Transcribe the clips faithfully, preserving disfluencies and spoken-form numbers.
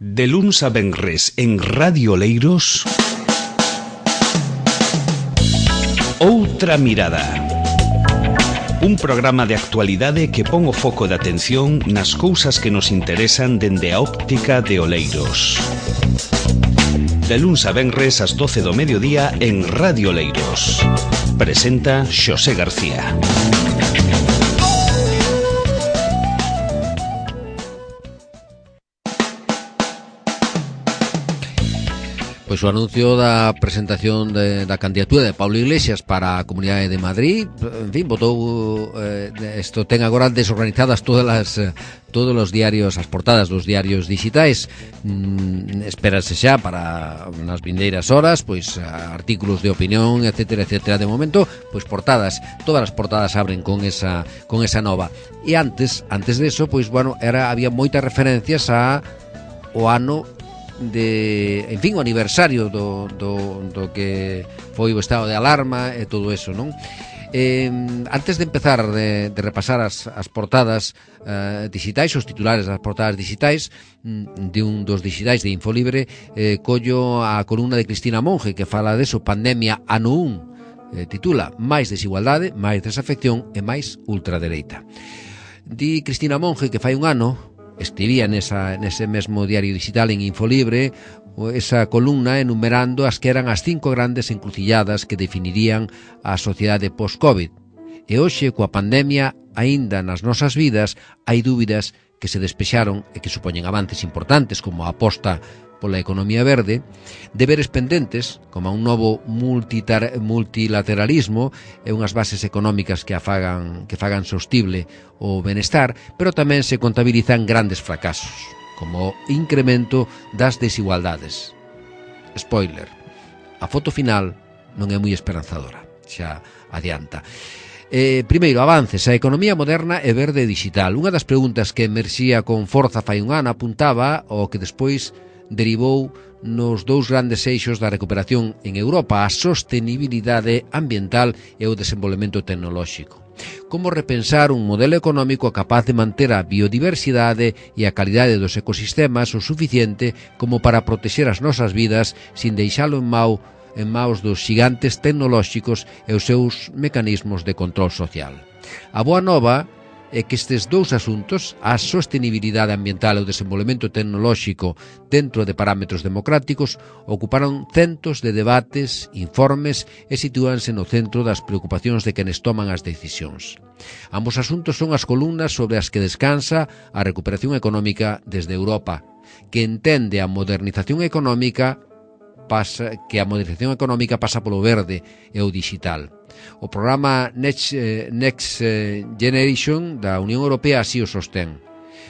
De luns a venres en Radio Oleiros, Outra Mirada. Un programa de actualidade que pon o foco de atención nas cousas que nos interesan dende a óptica de Oleiros. De luns a venres ás doce do mediodía en Radio Oleiros. Presenta Xosé García. Pois o anuncio da presentación de, da candidatura de Pablo Iglesias para a Comunidade de Madrid, en fin, botou eh, isto ten agora desorganizadas todas as eh, todos os diarios, as portadas dos diarios digitais. Mm, espérase xa para nas vindeiras horas, pois artículos de opinión, etcétera, etcétera. De momento, pois portadas, todas as portadas abren con esa con esa nova. E antes, antes de eso, pois bueno, era había moitas referencias a o ano de, en fin, o aniversario do, do, do que foi o estado de alarma e todo eso, non? Eh, antes de empezar de, de repasar as, as portadas eh, digitais, os titulares das portadas digitais de un dos digitais de Infolibre, eh, collo a columna de Cristina Monge que fala deso, Pandemia ano un, eh, titula Máis desigualdade, máis desafección e máis ultradereita. Di Cristina Monge que fai un ano escribía nesa, nese mesmo diario digital en Infolibre esa columna enumerando as que eran as cinco grandes encrucilladas que definirían a sociedade post-COVID. E hoxe, coa pandemia, aínda nas nosas vidas, hai dúbidas que se despexaron e que supoñen avances importantes como a aposta pola economía verde, deberes pendentes, como un novo multitar, multilateralismo e unhas bases económicas que afagan, que fagan sostible o benestar, pero tamén se contabilizan grandes fracasos, como o incremento das desigualdades. Spoiler, a foto final non é moi esperanzadora, xa adianta. Eh, primeiro, avances. A economía moderna e verde digital. Unha das preguntas que emerxía con forza fai un ano apuntaba ao que despois derivou nos dous grandes eixos da recuperación en Europa, a sostenibilidade ambiental e o desenvolvemento tecnolóxico. Como repensar un modelo económico capaz de manter a biodiversidade e a calidade dos ecosistemas o suficiente como para protexer as nosas vidas sin deixalo en mau en maus dos xigantes tecnolóxicos e os seus mecanismos de control social. A boa nova é que estes dous asuntos, a sostenibilidade ambiental e o desenvolvemento tecnolóxico dentro de parámetros democráticos, ocuparon centos de debates, informes e sitúanse no centro das preocupacións de quenes toman as decisións. Ambos asuntos son as columnas sobre as que descansa a recuperación económica desde Europa, que entende a modernización económica pasa, que a modernización económica pasa polo verde e o digital. O programa Next, eh, Next Generation da Unión Europea así o sostén.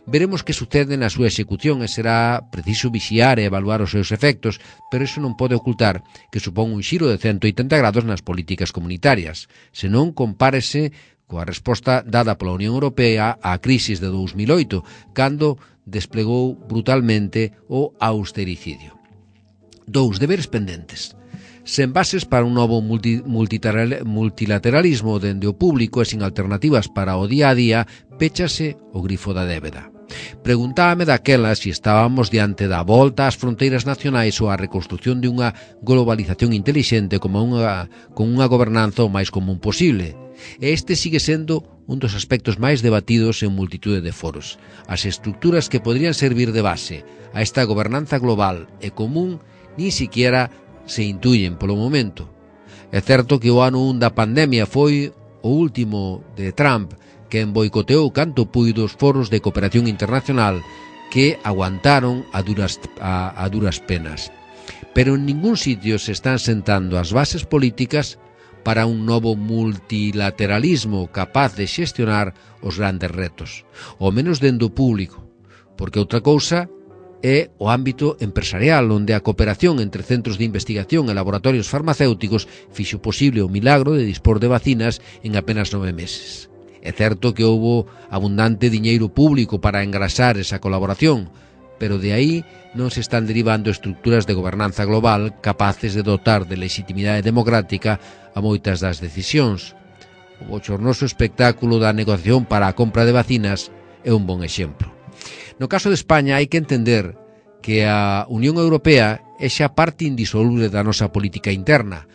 Veremos que sucede na súa execución e será preciso vixiar e evaluar os seus efectos, pero iso non pode ocultar que supón un xiro de ciento oitenta grados nas políticas comunitarias, senón compárese coa resposta dada pola Unión Europea á crisis de dous mil oito, cando desplegou brutalmente o austericidio. Dous, deberes pendentes. Sen bases para un novo multi, multilateralismo dende o público e sin alternativas para o día a día, péchase o grifo da débeda. Preguntábame daquela se estábamos diante da volta ás fronteiras nacionais ou a reconstrucción de unha globalización intelixente como unha, con unha gobernanza o máis común posible. E este sigue sendo un dos aspectos máis debatidos en multitude de foros. As estructuras que podrían servir de base a esta gobernanza global e común ni siquiera se intuyen polo momento. É certo que o ano un da pandemia foi o último de Trump, que boicoteou canto puido os foros de cooperación internacional que aguantaron a duras, a, a duras penas. Pero en ningún sitio se están sentando as bases políticas para un novo multilateralismo capaz de xestionar os grandes retos, ao menos dende o público, porque outra cousa é o ámbito empresarial, onde a cooperación entre centros de investigación e laboratorios farmacéuticos fixo posible o milagro de dispor de vacinas en apenas nove meses. É certo que houbo abundante diñeiro público para engrasar esa colaboración, pero de aí non se están derivando estructuras de gobernanza global capaces de dotar de legitimidade democrática a moitas das decisións. O bochornoso espectáculo da negociación para a compra de vacinas é un bon exemplo. No caso de España hai que entender que a Unión Europea é xa parte indisoluble da nosa política interna,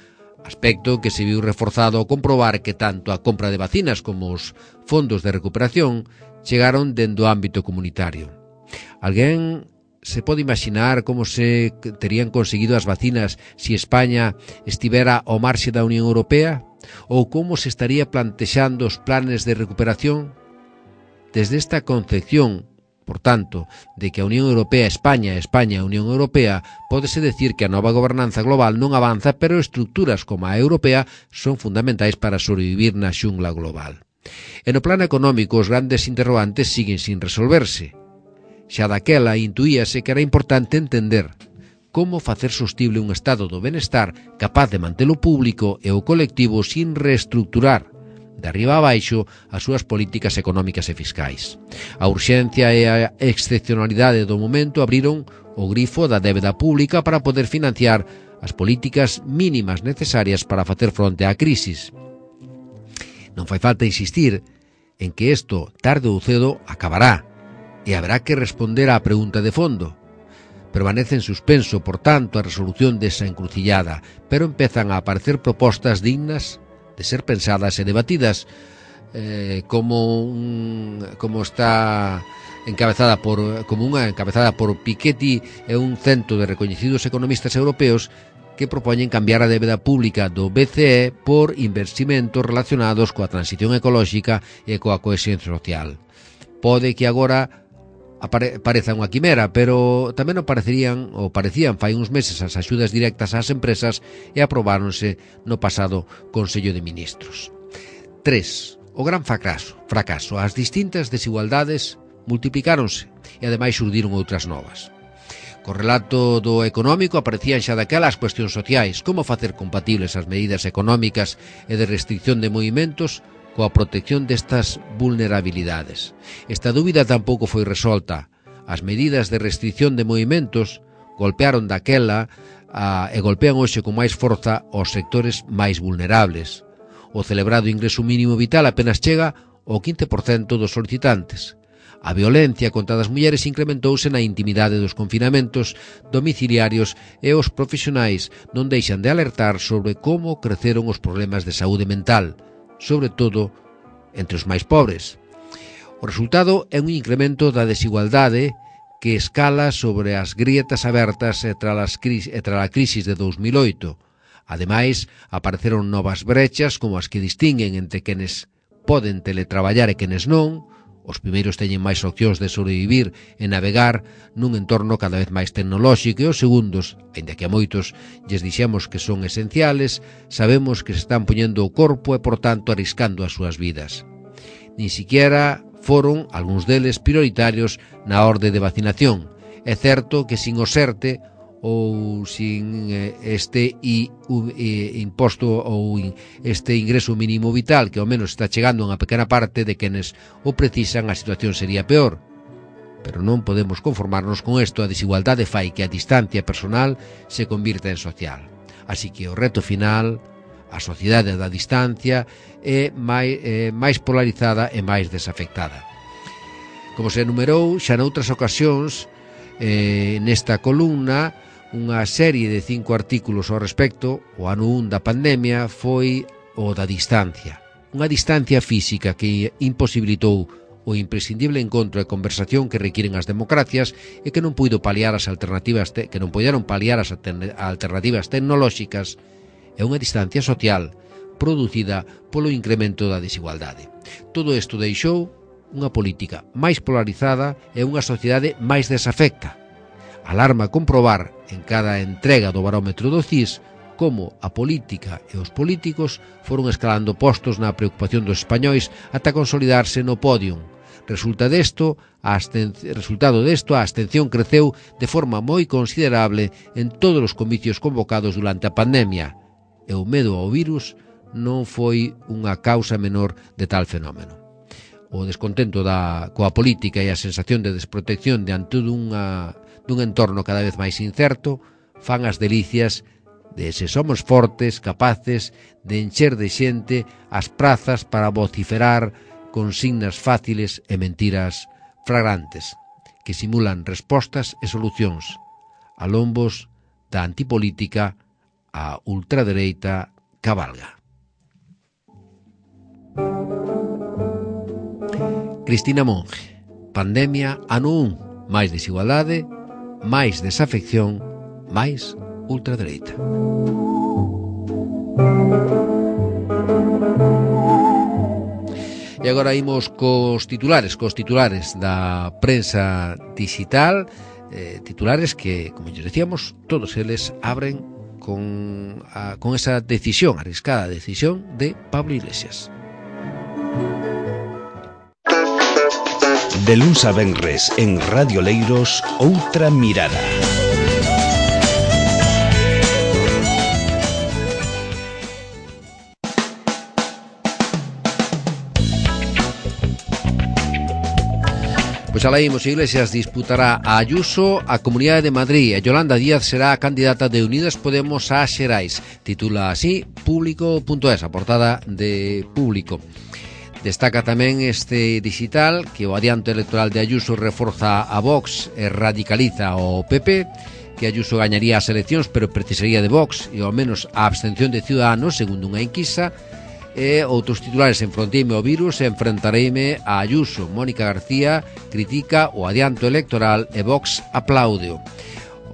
aspecto que se viu reforzado ao comprobar que tanto a compra de vacinas como os fondos de recuperación chegaron dende o ámbito comunitario. Alguén se pode imaginar como se terían conseguido as vacinas se España estivera ao marxe da Unión Europea? Ou como se estaría plantexando os planes de recuperación? Desde esta concepción, por tanto, de que a Unión Europea, España, España, a Unión Europea, pódese decir que a nova gobernanza global non avanza, pero estructuras como a europea son fundamentais para sobrevivir na xungla global. E no plano económico, os grandes interrogantes siguen sin resolverse. Xa daquela intuíase que era importante entender como facer sostible un estado do benestar capaz de mantelo público e o colectivo sin reestructurar de arriba a baixo as súas políticas económicas e fiscais. A urxencia e a excepcionalidade do momento abriron o grifo da débeda pública para poder financiar as políticas mínimas necesarias para facer fronte á crisis. Non fai falta insistir en que isto, tarde ou cedo, acabará, e haberá que responder á pregunta de fondo. Permanece en suspenso, por tanto, a resolución desa encrucillada, pero empezan a aparecer propostas dignas de ser pensadas e debatidas, eh, como un, como está encabezada por como unha encabezada por Piketty e un cento de recoñecidos economistas europeos que propoñen cambiar a débeda pública do B C E por investimentos relacionados coa transición ecolóxica e coa cohesión social. Pode que agora apare, pareza unha quimera, pero tamén o parecerían ou parecían fai uns meses as axudas directas ás empresas e aprobáronse no pasado Consello de Ministros. tres. O gran fracaso. Fracaso. As distintas desigualdades multiplicáronse e ademais surdiron outras novas. Co relato do económico aparecían xa daquela as cuestións sociais, como facer compatibles as medidas económicas e de restricción de movimentos coa protección destas vulnerabilidades. Esta dúbida tampouco foi resolta. As medidas de restricción de movimentos golpearon daquela a, e golpean hoxe con máis forza aos sectores máis vulnerables. O celebrado ingreso mínimo vital apenas chega ao quince por cento dos solicitantes. A violencia contra as mulleres incrementouse na intimidade dos confinamentos domiciliarios e os profesionais non deixan de alertar sobre como creceron os problemas de saúde mental, sobre todo entre os máis pobres. O resultado é un incremento da desigualdade que escala sobre as grietas abertas e tras a crisis de dous mil oito. Ademais, apareceron novas brechas como as que distinguen entre quenes poden teletraballar e quenes non. Os primeiros teñen máis opcións de sobrevivir e navegar nun entorno cada vez máis tecnolóxico e os segundos, aínda que a moitos lles dixemos que son esenciales, sabemos que se están poñendo o corpo e, por tanto, arriscando as súas vidas. Nin siquiera foron algúns deles prioritarios na orde de vacinación. É certo que sin o SERTE ou sin este i, u, i, imposto ou este ingreso mínimo vital, que ao menos está chegando a unha pequena parte de quenes o precisan, a situación sería peor. Pero non podemos conformarnos con isto. A desigualdade fai que a distancia personal se convirta en social. Así que o reto final, a sociedade da distancia, é máis, é máis polarizada e máis desafectada. Como se enumerou xa noutras ocasións, eh, nesta columna, unha serie de cinco artículos ao respecto, o ano un da pandemia foi o da distancia. Unha distancia física que imposibilitou o imprescindible encontro e conversación que requiren as democracias e que non puido paliar as alternativas te, que non puideron paliar as alternativas tecnolóxicas, é unha distancia social producida polo incremento da desigualdade. Todo isto deixou unha política máis polarizada e unha sociedade máis desafecta. Alarma comprobar en cada entrega do barómetro do C I S como a política e os políticos foron escalando postos na preocupación dos españois ata consolidarse no pódium. Resulta desto, a resultado desto, a abstención creceu de forma moi considerable en todos os comicios convocados durante a pandemia, e o medo ao virus non foi unha causa menor de tal fenómeno. O descontento da, coa política e a sensación de desprotección diante dunha dun entorno cada vez máis incerto, fan as delicias de se somos fortes, capaces de encher de xente as prazas para vociferar consignas fáciles e mentiras flagrantes. que simulan respostas e solucións a lombos da antipolítica a ultradereita cabalga. Cristina Monge, pandemia ano un, máis desigualdade, máis desafección, máis ultradereita. E agora imos cos titulares, cos titulares da prensa digital, eh, titulares que, como ya decíamos, todos eles abren con, a, con esa decisión, arriscada decisión de Pablo Iglesias. De luns a venres en Radio Leiros, Outra Mirada. Pois alá imos, Iglesias disputará a Ayuso a Comunidade de Madrid e Yolanda Díaz será a candidata de Unidas Podemos a Xerais. Titula así Público punto es, a portada de Público. Destaca tamén este digital que o adianto electoral de Ayuso reforza a Vox e radicaliza o P P, que Ayuso gañaría as eleccións pero precisaría de Vox e ao menos a abstención de Ciudadanos, segundo unha enquisa. E outros titulares: enfronteime ao virus e enfrentareime a Ayuso. Mónica García critica o adianto electoral e Vox apláudeo.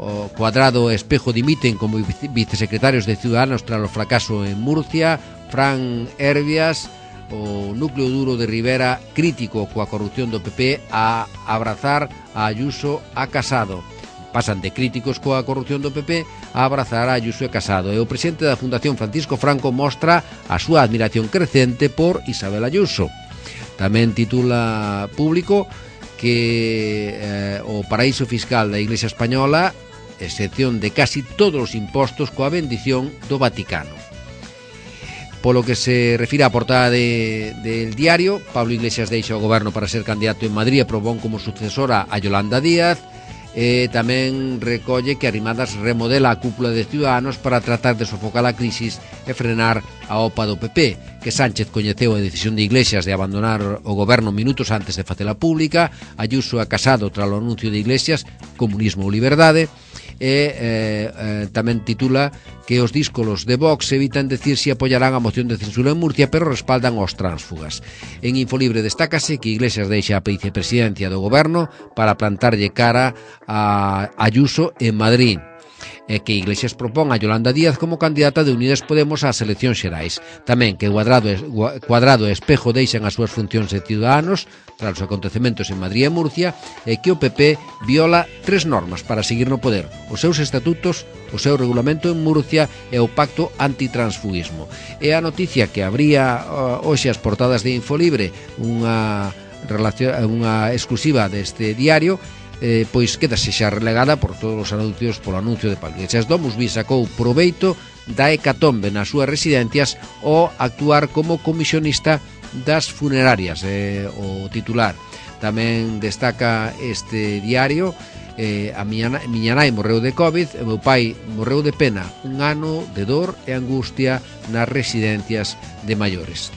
O Cuadrado e Espejo dimiten como vicesecretarios de Ciudadanos tras o fracaso en Murcia. Fran Herbias, o núcleo duro de Rivera, crítico coa corrupción do P P, a abrazar a Ayuso a Casado. Pasan de críticos coa corrupción do P P a abrazar a Ayuso e Casado. E o presidente da Fundación Francisco Franco mostra a súa admiración crecente por Isabel Ayuso. Tamén titula Público que eh, o paraíso fiscal da Iglesia Española, excepción de casi todos os impostos coa bendición do Vaticano. Polo que se refira á portada de, del diario, Pablo Iglesias deixa o goberno para ser candidato en Madrid e propón como sucesora a Yolanda Díaz. E tamén recolle que Arrimadas remodela a cúpula de Ciudadanos para tratar de sofocar a crisis e frenar a opa do P P, que Sánchez coñeceu a decisión de Iglesias de abandonar o goberno minutos antes de facela pública. Ayuso a Casado tras o anuncio de Iglesias, comunismo ou liberdade. E eh, eh, tamén titula que os díscolos de Vox evitan decir si apoyarán a moción de censura en Murcia, pero respaldan aos tránsfugas. En Infolibre destácase que Iglesias deixa a vicepresidencia do goberno para plantarlle cara a Ayuso en Madrid, e que Iglesias propón a Yolanda Díaz como candidata de Unidas Podemos ás eleccións xerais. Tamén que Cuadrado e, Cuadrado e Espejo deixan as súas funcións de Ciudadanos tras os acontecementos en Madrid e Murcia, e que o P P viola tres normas para seguir no poder: os seus estatutos, o seu regulamento en Murcia e o pacto antitransfugismo. E a noticia que abría uh, hoxe as portadas de Infolibre, unha, relación, unha exclusiva deste diario, Eh, pois quedase xa relegada por todos os anuncios polo anuncio de Pablo Iglesias. Domusvi sacou proveito da hecatombe nas súas residencias o actuar como comisionista das funerarias, eh, o titular. Tamén destaca este diario eh, a miña, miña nai morreu de COVID e meu pai morreu de pena, un ano de dor e angustia nas residencias de maiores.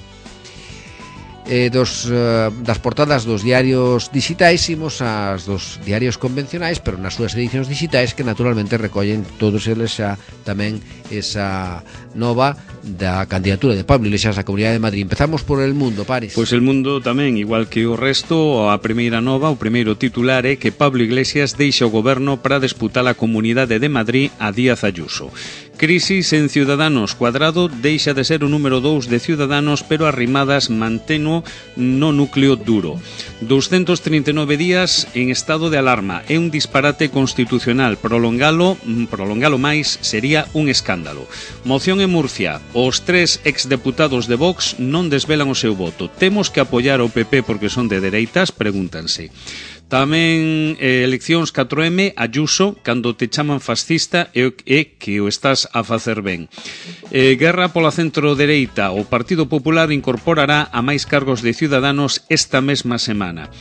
Eh, dos, uh, das portadas dos diarios digitais imos ás dos diarios convencionais, pero nas súas edicións digitais, que naturalmente recollen todos eles xa tamén esa nova da candidatura de Pablo Iglesias á Comunidade de Madrid. Empezamos por El Mundo, Paris. Pois El Mundo tamén, igual que o resto, a primeira nova, o primeiro titular é que Pablo Iglesias deixa o goberno para disputar a Comunidade de Madrid a Díaz Ayuso. Crisis en Ciudadanos. Cuadrado deixa de ser o número dous de Ciudadanos, pero Arrimadas manteno no núcleo duro. doscientos treinta e nove días en estado de alarma. É un disparate constitucional. Prolongalo, prolongalo máis sería un escándalo. Moción en Murcia. Os tres exdeputados de Vox non desvelan o seu voto. Temos que apoiar o P P porque son de dereitas? Pregúntanse. Tamén eh, eleccións catro eme, Ayuso, cando te chaman fascista e, e que o estás a facer ben. Eh, guerra pola centro-dereita. O Partido Popular incorporará a máis cargos de Ciudadanos esta mesma semana.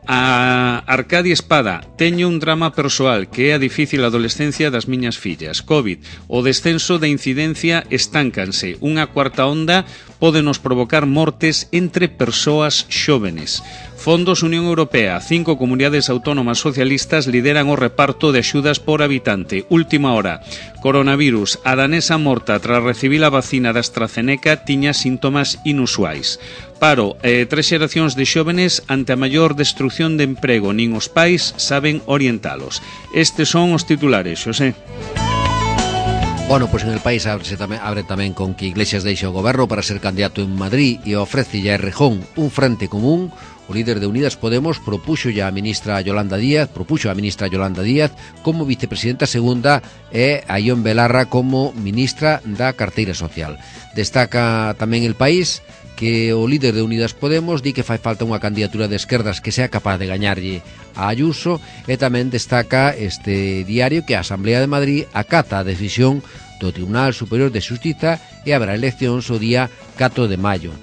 A Arcadi Espada: teño un drama persoal que é a difícil adolescencia das miñas fillas. COVID. O descenso da incidencia estáncanse. Unha cuarta onda pode nos provocar mortes entre persoas xóvenes. Fondos Unión Europea. Cinco comunidades autónomas socialistas lideran o reparto de axudas por habitante. Última hora. Coronavirus. A danesa morta tras recibir a vacina da AstraZeneca tiña síntomas inusuais. Paro. Eh, tres xeracións de xóvenes ante a maior destrucción de emprego. Nin os pais saben orientalos. Estes son os titulares, Xosé. Bueno, pois pues en el país abre tamén, abre tamén con que Iglesias deixa o goberno para ser candidato en Madrid e ofrece a Errejón un frente común. O líder de Unidas Podemos propuxo a ministra Yolanda Díaz, propuxo a ministra Yolanda Díaz como vicepresidenta segunda e a Ión Belarra como ministra da Carteira Social. Destaca tamén el país que o líder de Unidas Podemos di que fai falta unha candidatura de esquerdas que sea capaz de gañarlle a Ayuso, e tamén destaca este diario que a Asamblea de Madrid acata a decisión do Tribunal Superior de Xustiza e haberá eleccións o día catro de maio.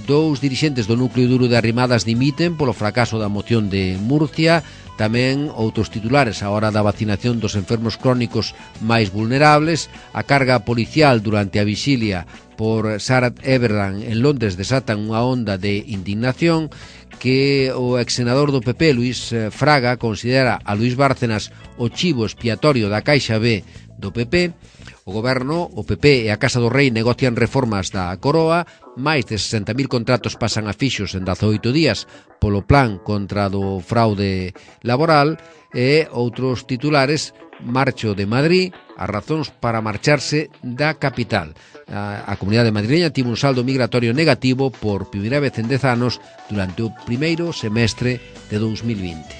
Dous dirixentes do núcleo duro de Arrimadas dimiten polo fracaso da moción de Murcia. Tamén outros titulares a hora da vacinación dos enfermos crónicos máis vulnerables. A carga policial durante a vixilia por Sarah Everard en Londres desatan unha onda de indignación. Que o exsenador do P P, Luís Fraga, considera a Luís Bárcenas o chivo expiatorio da Caixa B do P P. O goberno, o P P e a Casa do Rei negocian reformas da Coroa. Máis de sesenta mil contratos pasan a fixos en dezaoito días polo plan contra do fraude laboral. E outros titulares: marcho de Madrid, as razóns para marcharse da capital. A, a comunidade madrileña tivo un saldo migratorio negativo por primeira vez en dez anos durante o primeiro semestre de dous mil vinte.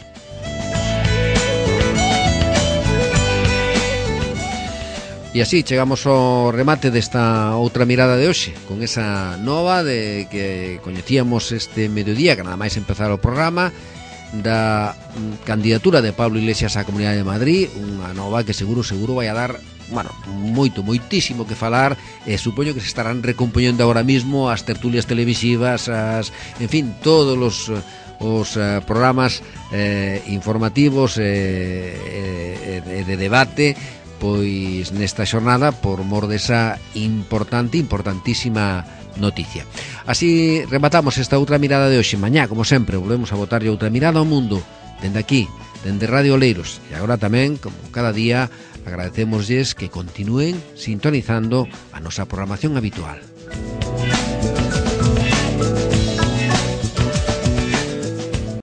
E así chegamos ao remate desta outra mirada de hoxe, con esa nova de que coñecíamos este mediodía, que nada máis empezar o programa, da candidatura de Pablo Iglesias á Comunidade de Madrid, unha nova que seguro, seguro vai a dar, bueno, moito, moitísimo que falar, e supoño que se estarán recompoñendo agora mismo as tertulias televisivas, as, en fin, todos os os uh, programas eh, informativos e eh, eh, de debate, pois nesta xornada por mor desa importante, importantísima noticia. Así rematamos esta outra mirada de hoxe. Mañá, como sempre, volvemos a botarlle outra mirada ao mundo dende aquí, dende Radio Oleiros. E agora tamén, como cada día, agradecémoslles que continúen sintonizando a nosa programación habitual.